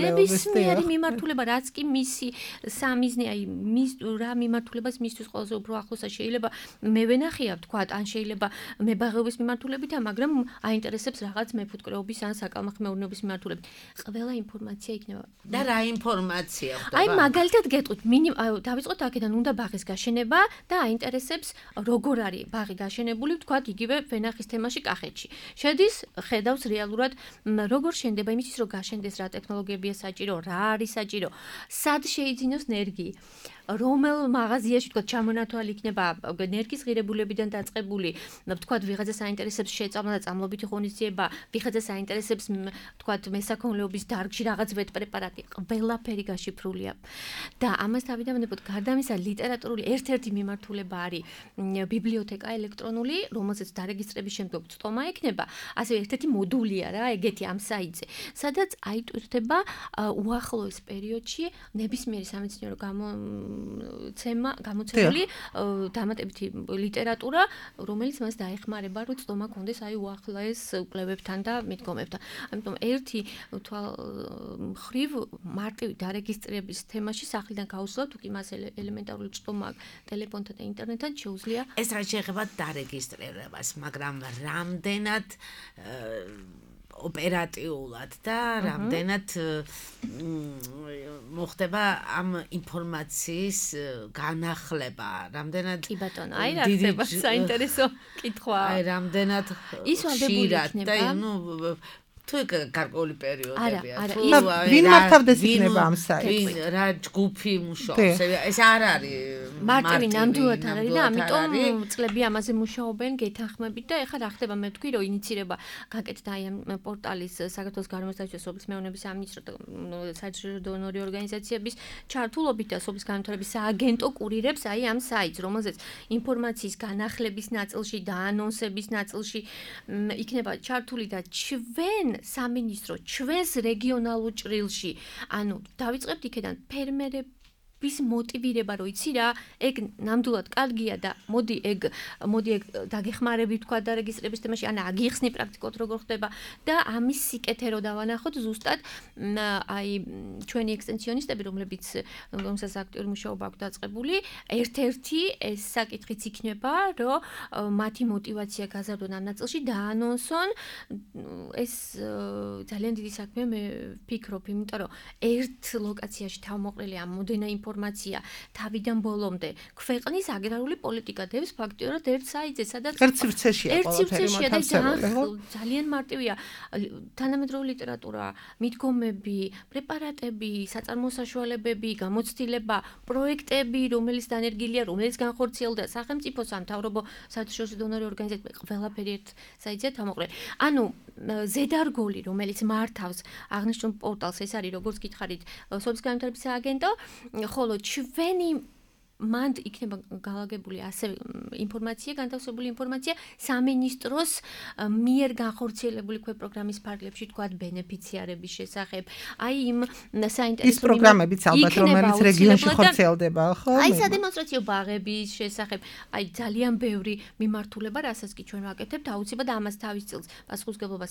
ნებისმიერი მიმართულება, რაც კი მისი სამიზნე, აი მის რა მიმართულებას მისთვის ყველაზე უფრო ახლოსა შეიძლება მევენახია ვთქვათ, ან შეიძლება მებაღეობის მიმართულებითა, მაგრამ აინტერესებს რაღაც მეფუტკრეობის ან საკალმახ მეურნეობის მიმართულებით. ყველა ინფორმაცია იქნება. და რა ინფორმაცია ხდება? აი მაგალითად გეტყვით, დავიწყოთ აქედან უნდა ბაღის გაშენება და აინტერესებს როგორ არის ბაღი გაშენებული, ვთქვათ, იგივე ვენახის თემაში კახეთში. შედის, ხედავს რეალურად როგორ შენდება იმისთვის, რომ გაშენდეს რა ტექნოლოგიებია საჭირო, რა არის საჭირო, სად შეიძინოს ნერგი. რომელ მაღაზიაში თქვა ჩამონათვალი იქნება ნერგის ღირებულებიდან დაწყებული, თქვა ვიღაცას აინტერესებს შეწამლა და წამლობითი ღონისძიება, ვიღაცას აინტერესებს თქვა მესაქონლეობის დარგში რაღაც ვეტ პრეპარატი, ყველაფერი გაშიფრულია. და ამას თავიდან ვთქვათ, გარდა ამისა ლიტერატურული ერთ-ერთი მიმართულება არის ბიბლიოთეკა ელექტრონული, რომელზეც დარეგისტრების შემდგომ წტომა ექნება, ასევე ერთ-ერთი მოდულია რა, ეგეთი ამ საიტზე, სადაც აიტვირთება უახლოეს პერიოდში ნებისმიერი სამეცნიერო გამო ცემა გამოცემული დამატებითი ლიტერატურა, რომელიც მას დაეხმარება, რომ წტომა კონდეს აი უახლოეს კვლევებთან და მიდგომებთან. ამიტომ ერთი მხრივ მარტივი დარეგისტრების თემაში სახლიდან გაუსვლად, თუ კი მას ელემენტარული წტომა ტელეფონთან და ინტერნეტთან შეუძლია. ეს რა შეეხება დარეგისტრირებას, მაგრამ რამდენად ოპერატიულად და რამდენად მოხდება ამ ინფორმაციის განახლება, რამდენად კი ბატონო, აი რა ხდება საინტერესო კითხვა. აი რამდენად ის ვალდებული იქნება. და ნუ თუ გარკვეული პერიოდებია, თუ ვინ მართავდეს იქნება ამ საიტს? რა ჯგუფი მუშაობს? ეს არ არის მარტივი ნამდვილად არ არის და ამიტომ წლები ამაზე მუშაობენ გეთანხმებით და ეხლა რა ხდება, მე ვთქვი, რომ ინიცირება გაკეთდა აი ამ პორტალის საქართველოს გარემოს დაცვის სოფლის მეურნეობის სამინისტრო საერთაშორისო ორგანიზაციების ჩართულობით და სოფლის განვითარების სააგენტო კურირებს აი ამ საიტს, რომელზეც ინფორმაციის განახლების ნაწილში და ანონსების ნაწილში იქნება ჩართული და ჩვენ სამინისტრო ჩვენს რეგიონალურ ჭრილში, ანუ დავიწყებთ იქიდან ფერმერები ვის მოტივირება რო იცი რა, ეგ ნამდვილად კარგია და მოდი ეგ მოდი ეგ დაგეხმარები თქვა და რეგისტრების თემაში, ან აგიხსნი პრაქტიკულად როგორ ხდება და ამის სიკეთე რო დავანახოთ ზუსტად აი ჩვენი ექსტენსიონისტები, რომლებიც რომელსაც აქტიური მუშაობა აქვს დაწყებული, ერთ-ერთი ეს საკითხიც იქნება, რომ მათი მოტივაცია გაზარდონ ამ ნაწილში დაანონსონ. ეს ძალიან დიდი საქმეა, მე ვფიქრობ, იმიტომ რომ ერთ ლოკაციაში თავმოყრილი ამ მოდენა ინფორმაცია თავიდან ბოლომდე ქვეყნის აგრარული პოლიტიკა დევს ფაქტიურად ერთ საიტზე, სადაც ერთ სივრცეშია ყველაფერი მოთავსებული. ძალიან მარტივია თანამედროვე ლიტერატურა, მიდგომები, პრეპარატები, საწარმოო საშუალებები, გამოცდილება, პროექტები, რომელიც დანერგილია, რომელიც განხორციელდა სახელმწიფო, სამთავრობო, საერთაშორისო დონორი ორგანიზაციები, ყველაფერი ერთ საიტზე თავმოყრილი. ანუ ზედარგოლი, რომელიც მართავს აღნიშნულ პორტალს, ეს არის როგორც გითხარით, სოფლის განვითარების სააგენტო, ხოლო ჩვენი მანდ იქნება გალაგებული ასევე ინფორმაცია, განთავსებული ინფორმაცია სამინისტროს მიერ განხორციელებული ქვე პროგრამის ფარგლებში, თქვათ, ბენეფიციარების შესახებ. აი იმ საინტერესო ის პროგრამებიც ალბათ, რომელიც რეგიონში ხორციელდება, ხო? აი სადემონსტრაციო ბაღების შესახებ, აი ძალიან ბევრი მიმართულება, რასაც კი ჩვენ ვაკეთებთ, აუცილებლად ამას თავის წილს პასუხისმგებლობა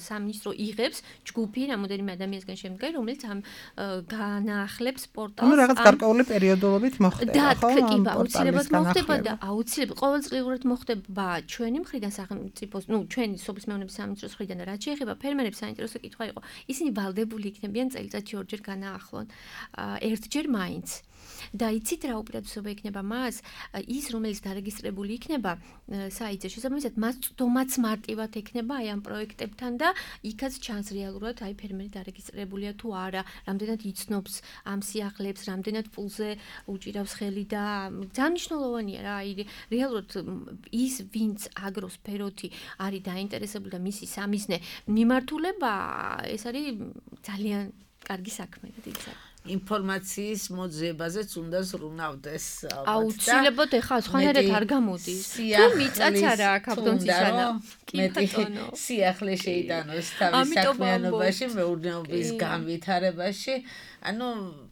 სამინისტრო იღებს, ჯგუფი რამოდენიმე ადამიანისგან შემდგარი, რომელიც ამ განახლებს პორტალს. ანუ რაღაც გარკვეული პერიოდულობით მოხდება. და კი აუცილებლად მოხდება და აუცილებლად ყოველწლიურად მოხდება ჩვენი მხრიდან სახელმწიფოს, ნუ ჩვენი სოფლის მეურნეობის სამინისტროს მხრიდან, რაც შეეხება ფერმერებს, საინტერესო კითხვა იყო. ისინი ვალდებული იქნებიან წელიწადში ორჯერ განაახლონ. ერთჯერ მაინც. და იცით რა უპირატესობა იქნება მას? ის რომელიც დარეგისტრირებული იქნება საიტზე, შესაბამისად მას წვდომაც მარტივად ექნება აი ამ პროექტებთან და იქაც ჩანს რეალურად აი ფერმერი დარეგისტრირებულია თუ არა, რამდენად იცნობს ამ სიახლეებს, რამდენად პულზე უჭირავს ხელი და ძალიან მნიშვნელოვანია რა, აი რეალურად ის ვინც აგროსფეროთი არის დაინტერესებული და მისი სამიზნე მიმართულება, ეს არის ძალიან კარგი საქმე და დიდი საქმე. ინფორმაციის მოძიებაზეც უნდა ზრუნავდეს ალბათ. აუცილებლად ეხლა სხვანაირად არ გამოდის. თუ მიწაც არა აქ ავტონცისანა. მეტი სიახლე შეიტანოს თავის საქმიანობაში, მეურნეობის განვითარებაში. ანუ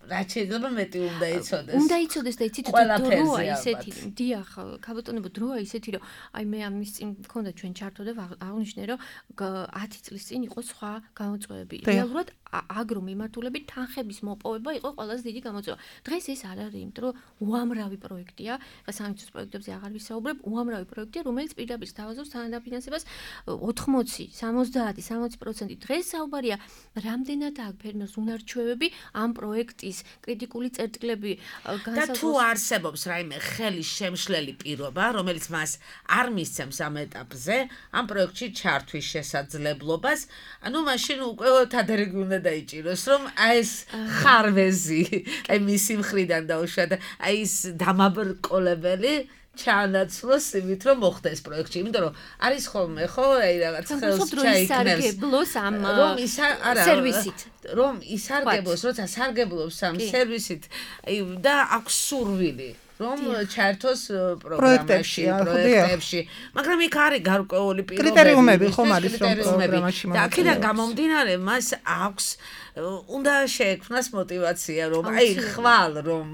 რაც შეიძლება მეტი უნდა იცოდეს. უნდა იცოდეს და იცით დროა ისეთი. დიახ, ქალბატონებო დროა ისეთი, რომ აი მე ამის წინ მქონდა ჩვენ ჩართო და აღნიშნე, რომ ათი წლის წინ იყო სხვა გამოწვევები. რეალურად აგრო მიმართულებით თანხების მოპოვება იყო ყველაზე დიდი გამოწვევა. დღეს ეს არ არის, იმიტომ რომ უამრავი პროექტია, ხა სამეცნიერო პროექტებზე აღარ ვისაუბრებ, უამრავი პროექტია, რომელიც პირდაპირ სთავაზობს თანადაფინანსებას ოცდაათი, სამოცდაათი, სამოცი პროცენტი. დღეს საუბარია, რამდენად აქვს ფერმერს უნარჩვევები ამ პროექტის კრიტიკული წერტილები განსაზღვროს. და თუ არსებობს რაიმე ხელი შემშლელი პირობა, რომელიც მას არ მისცემს ამ ეტაპზე, ამ პროექტში ჩართვის შესაძლებლობას, ანუ მაშინ უკვე თადარიგი უნდა დაიჭიროს, რომ აი ეს ხარვეზი, აი მისი მხრიდან დაუშვათ, აი ეს დამაბრკოლებელი ჩაანაცვლოს იმით, რომ მოხდეს პროექტში, იმიტომ რომ არის ხოლმე ხო, აი რაღაც ხელს ჩაიქნევს ამ სერვისით. რომ ისარგებლოს, როცა სარგებლობს ამ სერვისით, აი და აქვს სურვილი რომ ჩაერთოს პროგრამაში, პროექტებში, მაგრამ იქ არის გარკვეული პირობები, კრიტერიუმები ხომ არის რომ პროგრამაში და აქედან გამომდინარე მას აქვს უნდა შეექმნას мотиваცია რომ აი ხვალ რომ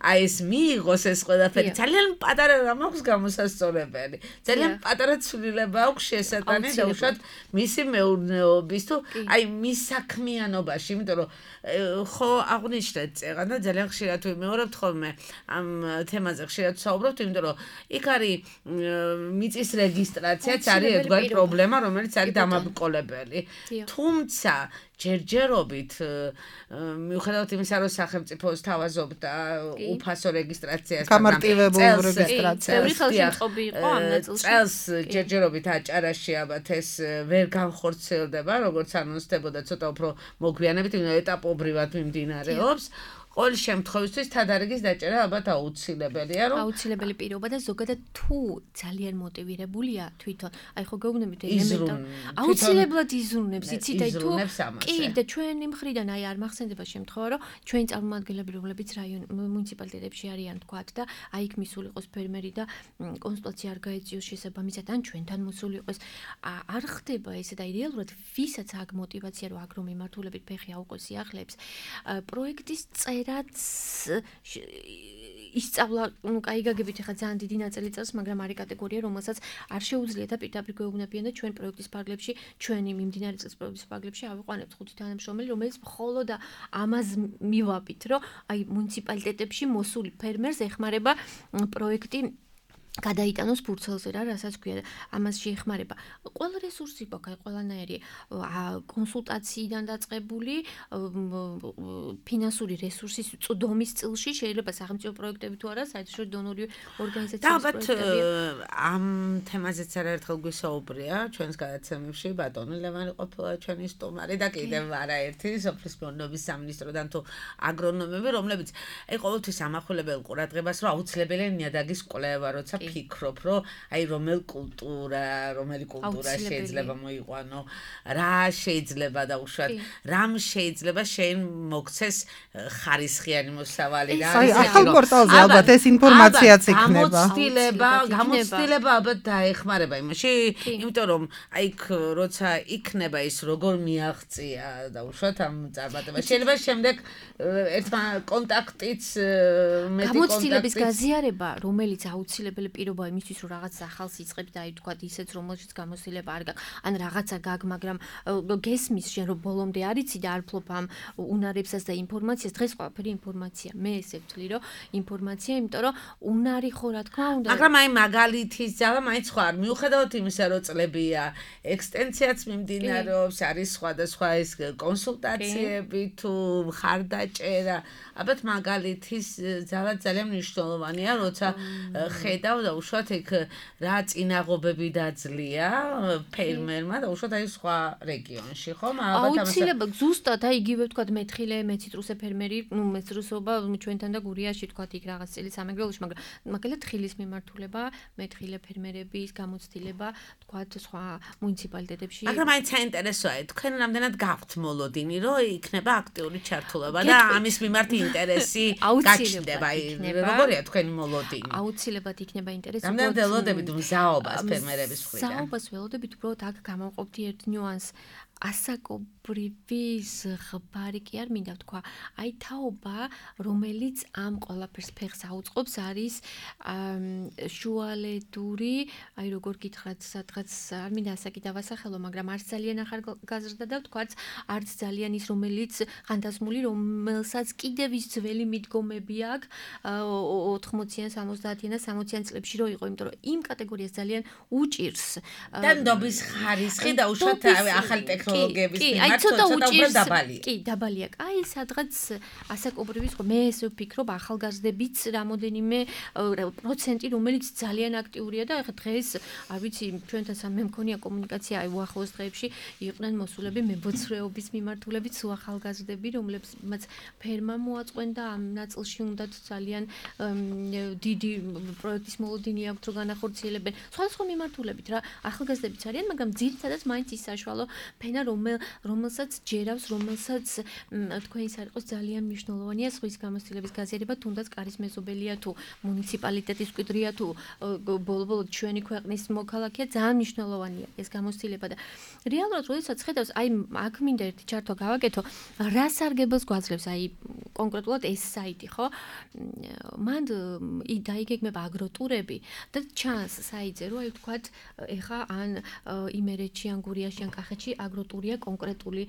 აი ეს მიიღოს ეს ყველაფერი ძალიან პატარა რამ აქვს გამოსასწორებელი ძალიან პატარა ცვლილება აქვს შესატანი და უშუალოდ მისი მეურნეობის თუ აი მის საქმიანობაში იმიტომ რომ ხო აღნიშნეთ წეგან და ძალიან ხშირად ვიმეორებთ ხოლმე ამ თემაზე ხშირად ვსაუბრობთ იმიტომ რომ იქ არის მიწის რეგისტრაციაც არის ერთგვარი პრობლემა რომელიც არის დამაბრკოლებელი თუმცა ჯერჯერობით მიუხედავად იმისა რომ სახელმწიფო სთავაზობდა უფასო რეგისტრაციას გამარტივებულ რეგისტრაციას წელს ჯერჯერობით აჭარაში ალბათ ეს ვერ განხორციელდება როგორც ანონსდებოდა ცოტა უფრო მოგვიანებით ეტაპობრივად მიმდინარეობს ყოველ შემთხვევისთვის თადარიგის დაჭერა ალბათ აუცილებელია რომ აუცილებელი პირობა და ზოგადად თუ ძალიან მოტივირებულია თვითონ აი ხო გეუბნებით ელემენტად აუცილებლად იზრუნებს იცით აი თუ კი და ჩვენი მხრიდან აი არ მახსენდება შემთხვევა რომ ჩვენი წარმომადგენლები რომლებიც რაიონ მუნიციპალიტეტებში არიან თქვათ და აი იქ მისული იყოს ფერმერი და კონსულტაცია არ გაეწიოს შესაბამისად ან ჩვენთან მოსული იყოს არ ხდება ესე და რეალურად ვისაც აქ мотиваცია რომ აგრო მიმართულებით ფეხი აუყოს სიახლეებს პროექტის რაც ისწავლა, ну, кай გაგებით ახლა ძალიან დიდი ნაწილი წელს, მაგრამ არის კატეგორია, რომელსაც არ შეუძლია და პირდაპირ გვეუბნებიან და ჩვენ პროექტის პარკლებში, ჩვენი მიმდინარე წელს პროექტის პარკლებში ავიყვანებთ ხუთი თანამშრომელი, რომელიც მხოლოდ ამას მივაბით, რომ აი მუნიციპალიტეტებში მოსული ფერმერს ეხმარება პროექტი გადაიტანოს ფურცელზე რა, რასაც ქვია, ამას შეეხმარება. ყველა რესურსი გვაქვს, აი ყველანაირი კონსულტაციიდან დაწყებული ფინანსური რესურსის წვდომის წილში შეიძლება სახელმწიფო პროექტები თუ არა, საერთაშორისო დონორი ორგანიზაციების პროექტები. ამ თემაზეც არაერთხელ გვისაუბრია ჩვენს გადაცემებში, ბატონი ლევანი ყოფილა ჩვენი სტუმარი და კიდევ არაერთი სოფლის მეურნეობის სამინისტროდან თუ აგრონომები, რომლებიც აი ყოველთვის ამახვილებენ ყურადღებას, რომ აუცილებელია ნიადაგის კვლევა, როცა ფიქრობ, რომ აი რომელ კულტურა, რომელი კულტურა შეიძლება მოიყვანო, რა შეიძლება დაუშვათ, რამ შეიძლება შენ მოგცეს ხარისხიანი მოსავალი და აი ახალ პორტალზე ალბათ ეს ინფორმაციაც იქნება. გამოცდილება, გამოცდილება ალბათ დაეხმარება იმაში, იმიტომ რომ აი როცა იქნება ის როგორ მიაღწია დაუშვათ ამ წარმატებას. შეიძლება შემდეგ ერთმა კონტაქტიც მეტი კონტაქტიც გამოცდილების გაზიარება, რომელიც აუცილებელი პირობა იმისთვის რომ რაღაც ახალს იწყებს და აი თქვა ისეც რომელშიც გამოცდილება არ გაქვს ან რაღაცა გაგ მაგრამ გესმის შენ რომ ბოლომდე არიცი და არ ფლობ ამ უნარებსაც და ინფორმაციას დღეს ყველაფერი ინფორმაცია მე ესე ვთვლი რომ ინფორმაცია იმიტომ რომ უნარი ხო რა თქმა უნდა მაგრამ აი მაგალითის ძალა მაინც ხო არ მიუხედავად იმისა რომ წლებია ექსტენსიაც მიმდინარეობს არის სხვადასხვა ეს კონსულტაციები თუ ხარდაჭერა ალბათ მაგალითის ძალა ძალიან მნიშვნელოვანია როცა ხედავ და უშუალოდ იქ რა წინაღობები დაძლია ფერმერმა და უშუალოდ აი სხვა რეგიონში ხო ალბათ აუცილებლად ზუსტად აი იგივე ვთქვათ მეთხილე მეციტრუსე ფერმერი ნუ მეცრუსობა ჩვენთან და გურიაში ვთქვათ იქ რაღაც წელი სამეგრელოში მაგრამ მაგალითად თხილის მიმართულება მეთხილე ფერმერების გამოცდილება ვთქვათ სხვა მუნიციპალიტეტებში მაგრამ აი საინტერესოა თქვენ რამდენად გაქვთ მოლოდინი რომ იქნება აქტიური ჩართულობა და ამის მიმართ ინტერესი გაჩნდება აი როგორია თქვენი მოლოდინი აუცილებლად იქნება ინტერესი რამდენად ველოდებით მზაობას ფერმერების მხრიდან მზაობას ველოდებით უბრალოდ აქ გამოვყოფდი ერთ ნიუანსს ასაკობრივი ზღბარი კი არ მინდა თქვა აი თაობა რომელიც ამ ყველაფერს ფეხს აუწყობს არის შუალედური აი როგორ გითხრათ სადღაც არ მინდა ასაკი დავასახელო მაგრამ არც ძალიან ახალგაზრდა და ვთქვათ არც ძალიან ის რომელიც ხანდაზმული რომელსაც კიდევ ის ძველი მიდგომები აქვს ოთხმოციან სამოცდაათიან და სამოციან წლებში რო იყო იმიტომ რომ იმ კატეგორიას ძალიან უჭირს და ნდობის ხარისხი და უშუალოდ ახალი ტექნოლოგიების მიმართ ცოტა უჭირს დაბალია. კი, დაბალია. აი, სადღაც ასაკობრივი ხო მე ესე ვფიქრობ ახალგაზრდებიც რამოდენიმე პროცენტი რომელიც ძალიან აქტიურია და ეხლა დღეს არ ვიცი ჩვენთან სამ მე მქონია კომუნიკაცია აი უახლოეს დღეებში იყვნენ მოსულები მებოცრეობის მიმართულებით სულ ახალგაზრდები რომლებსაც ფერმა მოაწყვენ და ამ ნაწილში უნდათ ძალიან დიდი პროექტის მოლოდინი აქვთ რომ განახორციელებენ სხვადასხვა მიმართულებით რა ახალგაზრდებიც არიან მაგრამ ძირითადად მაინც ის საშუალო ფენა რომელ რომელსაც ჯერავს რომელსაც თქვენ ის არ იყოს ძალიან მნიშვნელოვანია სხვის გამოცდილების გაზიარება თუნდაც კარის მეზობელია თუ მუნიციპალიტეტის მკვიდრია თუ ბოლო-ბოლო ჩვენი ქვეყნის მოქალაქეა ძალიან მნიშვნელოვანია ეს გამოცდილება და რეალურად როდესაც ხედავს აი აქ მინდა ერთი ჩართვა გავაკეთო რა სარგებელს გვაძლევს აი კონკრეტულად ეს საიტი ხო მან დაიგეგმება აგროტურები და ჩანს საიტზე რომ აი ვთქვათ ეხა ან იმერეთში ან გურიაში ან კახეთში აგროტურია კონკრეტული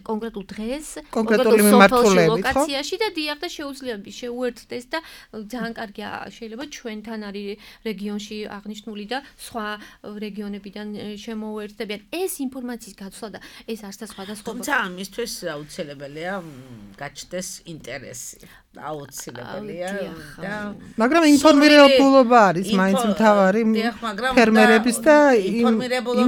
კონკრეტულ დღეს კონკრეტული მიმართულებით ხო ლოკაციაში და დიახ და შეუძლია შეუერთდეს და ძალიან კარგია შეიძლება ჩვენთან არის რეგიონში აღნიშნული და სხვა რეგიონებიდან შემოუერთდებიან ეს ინფორმაციის გაცვლა და ეს არც და სხვადასხვა თუმცა ამისთვის აუცილებელია გაჩნდეს ინტერესი აუცილებელია და მაგრამ ინფორმირებულობა არის მაინც მთავარი ფერმერების და იმ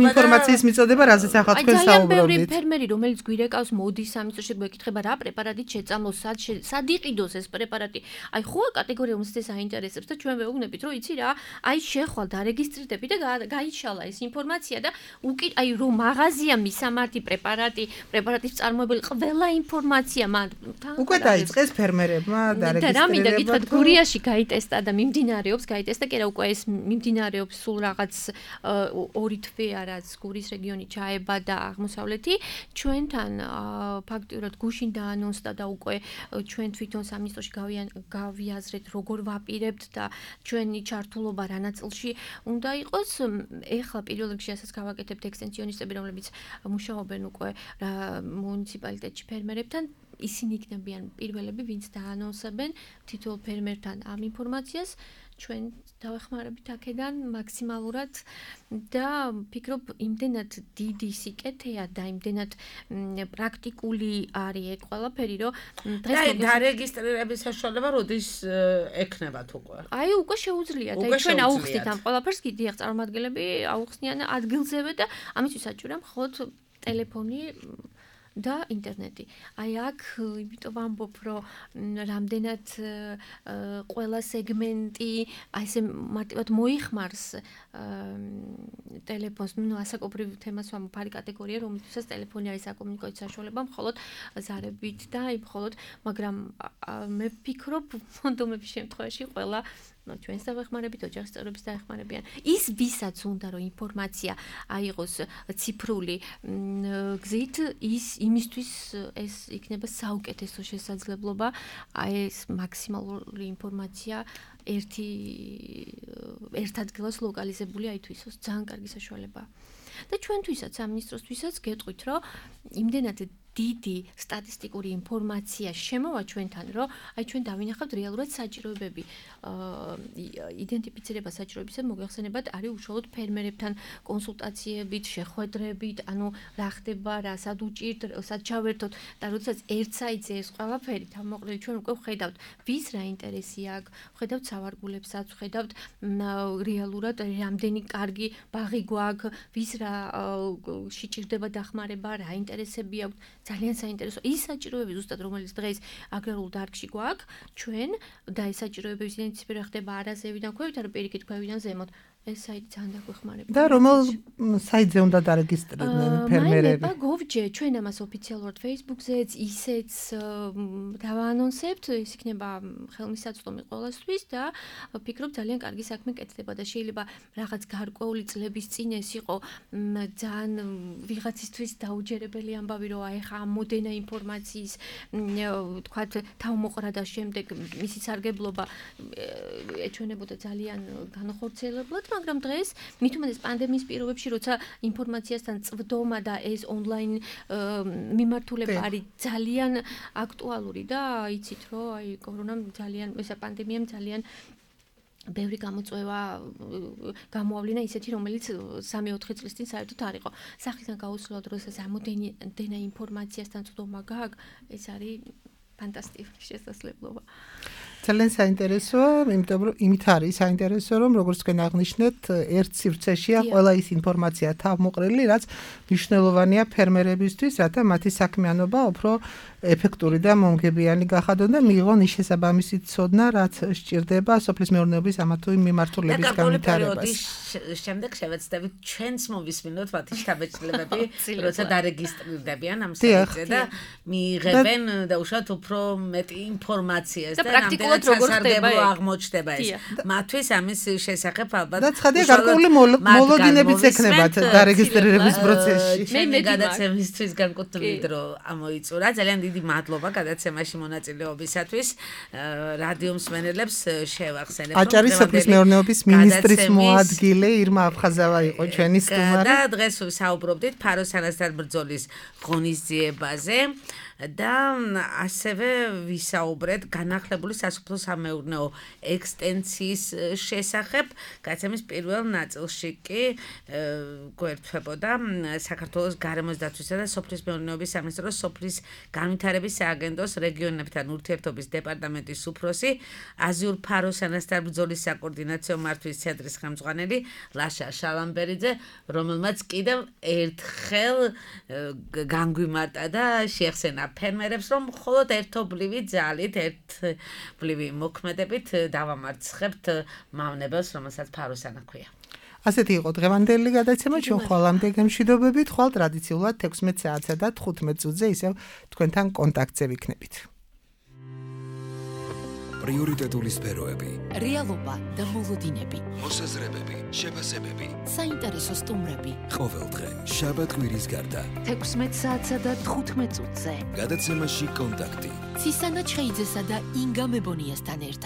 ინფორმაციის მიწოდება რაზეც ახლა თქვენ საუბრობთ ფერმერი რომელიც გვირეკავს მოდის სამიწოში გვეკითხება რა პრეპარატით შეწამლოს სად სად იყიდოს ეს პრეპარატი აი ხო კატეგორია რომელსაც ეს აინტერესებს და ჩვენ ვეუბნებით რომ იცი რა აი შეხვალ დარეგისტრირდები და გაიშალა ეს ინფორმაცია და უკი აი რომ მაღაზია მისამართი პრეპარატი პრეპარატის წარმოებელი ყველა ინფორმაცია მან უკვე დაიწყეს ფერმერებმა და რა მინდა გითხრათ გურიაში გაიტესტა და მიმდინარეობს გაიტესტა კი რა უკვე ეს მიმდინარეობს სულ რაღაც ორი თვე არაც გურის რეგიონი ჩაება და აღმოსავლეთი ჩვენთან ფაქტიურად გუშინ დაანონსდა და უკვე ჩვენ თვითონ სამინისტროში გავიაზრეთ როგორ ვაპირებთ და ჩვენი ჩართულობა რა ნაწილში უნდა იყოს ეხლა პირველ რიგში ასაც გავაკეთებთ ექსტენსიონისტები რომლებიც მუშაობენ უკვე მუნიციპალიტეტში ფერმერებთან ისინი იქნებიან პირველები ვინც დაანონსებენ თითოეულ ფერმერთან ამ ინფორმაციას ჩვენ დავეხმარებით აქედან მაქსიმალურად და ფიქრობ იმდენად დიდი სიკეთეა და იმდენად პრაქტიკული არის ეგ ყველაფერი რომ დღეს დარეგისტრირების საშუალება როდის ექნებათ უკვე აი უკვე შეუძლიათ აი ჩვენ აუხსნით ამ ყველაფერს კი დიახ წარმომადგენლები აუხსნიან ადგილზევე და ამისთვის საჭიროა მხოლოდ ტელეფონი და ინტერნეტი. აი აქ იმიტომ ვამბობ, რომ რამდენად ყველა სეგმენტი აი ესე მარტივად მოიხმარს ტელეფონს, ну ასაკობრივ თემას ვამბობ, არის კატეგორია, რომელთაც ტელეფონი არის საკომუნიკაციო საშუალება, მხოლოდ ზარებით და აი მხოლოდ, მაგრამ მე ვფიქრობ, ფონდომების შემთხვევაში ყველა ჩვენს დავეხმარებით, ოჯახის წევრების დაეხმარებიან. ის ვისაც უნდა რომ ინფორმაცია აიღოს ციფრული გზით, ის იმისთვის ეს იქნება საუკეთესო შესაძლებლობა, აი ეს მაქსიმალური ინფორმაცია ერთი ერთ ადგილას ლოკალიზებული აითვისოს. ძალიან კარგი საშუალებაა. და ჩვენთვისაც, სამინისტროსთვისაც გეტყვით, რომ იმდენად დიდი სტატისტიკური ინფორმაცია შემოვა ჩვენთან, რომ აი ჩვენ დავინახავთ რეალურად საჭიროებები, იდენტიფიცირება საჭიროებისა მოგეხსენებათ არის უშუალოდ ფერმერებთან კონსულტაციებით, შეხვედრებით, ანუ რა ხდება, რა სად უჭირთ, სად ჩავერთოთ და როდესაც ერთ საიტზე ეს ყველაფერი თავმოყრილი ჩვენ უკვე ვხედავთ, ვის რა ინტერესი აქვს, ვხედავთ სავარგულებსაც, ვხედავთ რეალურად რამდენი კარგი ბაღი გვაქვს, ვის რა შეჭირდება დახმარება, რა ინტერესები აქვს. ძალიან საინტერესო ის საჭიროებები ზუსტად რომელიც დღეს აგრარულ დარგში გვაქვს ჩვენ და ეს საჭიროებების იდენტიფიცირება ხდება არაზევიდან ქვევით არა პირიქით ქვევიდან ზემოთ ეს საიტი ძალიან დაგვეხმარება და რომელ საიტზე უნდა დარეგისტრირდნენ ფერმერები მაინება გოვჯე ჩვენ ამას ოფიციალურად Facebook-ზეც ისეც დავაანონსებთ ეს იქნება ხელმისაწვდომი ყველასთვის და ვფიქრობ ძალიან კარგი საქმე კეთდება და შეიძლება რაღაც გარკვეული წლების წინ ეს იყო ძალიან ვიღაცისთვის დაუჯერებელი ამბავი რომ აი ხა ამოდენა ინფორმაციის თქვათ თავმოყრა და შემდეგ მისი სარგებლობა ეჩვენებოდა ძალიან განხორციელებლად მაგრამ დღეს მით უმეტეს პანდემიის პირობებში როცა ინფორმაციასთან წვდომა და ეს ონლაინ მიმართულება არის ძალიან აქტუალური და იცით რომ აი კორონამ ძალიან ესა პანდემიამ ძალიან ბევრი გამოწვევა გამოავლინა ისეთი რომელიც სამი ოთხი წლის წინ საერთოდ არ იყო სახიდან გაუსვლელად როდესაც ამოდენა ინფორმაციასთან წვდომა გააქვს ეს არის ფანტასტიკური შესაძლებლობა ძალიან საინტერესოა, იმიტომ რომ იმით არის საინტერესო, რომ როგორც თქვენ აღნიშნეთ, ერთ სივრცეშია ყველა ის ინფორმაცია თავმოყრილი, რაც მნიშვნელოვანია ფერმერებისთვის, რათა მათი საქმიანობა უფრო ეფექტური და მომგებიანი გახადონ და მიიღონ ის შესაბამისი ცოდნა, რაც სჭირდება სოფლის მეურნეობის ამა თუ იმ მიმართულების განვითარებას. შემდეგ შევეცდებით ჩვენც მოვისმინოთ მათი შთაბეჭდილებები, როცა დარეგისტრირდებიან ამ საიტზე და მიიღებენ და უშუალოდ უფრო მეტი ინფორმაციას და პრაქტიკულად როგორ ხდება აღმოჩნდება ეს. მათთვის ამის შესახებ ალბათ და ცხადია გარკვეული მოლოდინებიც ექნებათ დარეგისტრირების პროცესში. მე გადაცემისთვის განკუთვნილი დრო ამოიწურა. ძალიან დიდი მადლობა გადაცემაში მონაწილეობისათვის. რადიო მსმენელებს შევახსენებ რომ აჭარის სოფლის მეურნეობის მინისტრის მოადგილე ირმა აფხაზავა იყო ჩვენი სტუმარი. და დღეს საუბრობდით ფაროსანასთან ბრძოლის ღონისძიებაზე. და ასევე ვისაუბრეთ განახლებული სასოფლო-სამეურნეო ექსტენსიის შესახებ. გადაცემის პირველ ნაწილში კი გვერდთვებოდა საქართველოს გარემოს დაცვისა და სოფლის მეურნეობის სამინისტროს სოფლის განვითარების სააგენტოს რეგიონებთან ურთიერთობის დეპარტამენტის უფროსი აზიურ ფაროსანასთან ბრძოლის საკოორდინაციო მართვის ცენტრის ხელმძღვანელი ლაშა შალამბერიძე, რომელმაც კიდევ ერთხელ განგვიმარტა და შეეხსენა ფერმერებს რომ მხოლოდ ერთობლივი ძალით, ერთბლივი მოქმედებით დავამარცხებთ მავნებელს, რომელსაც ფაროსანა ქვია. ასეთი იყო დღევანდელი გადაცემა, ჩვენ ხვალამდე გემშვიდობებით, ხვალ ტრადიციულად თექვსმეტ საათსა და თხუთმეტ წუთზე ისევ თქვენთან კონტაქტზე ვიქნებით. პრიორიტეტული სფეროები, რეალობა და მოლოდინები, მოსაზრებები, შეფასებები, საინტერესო სტუმრები. ყოველდღე, შაბათ-კვირის გარდა. თექვსმეტ საათსა და თხუთმეტ წუთზე. გადაცემაში კონტაქტი. ცისანა ჩხეიძესა და ინგა მებონიასთან ერთად.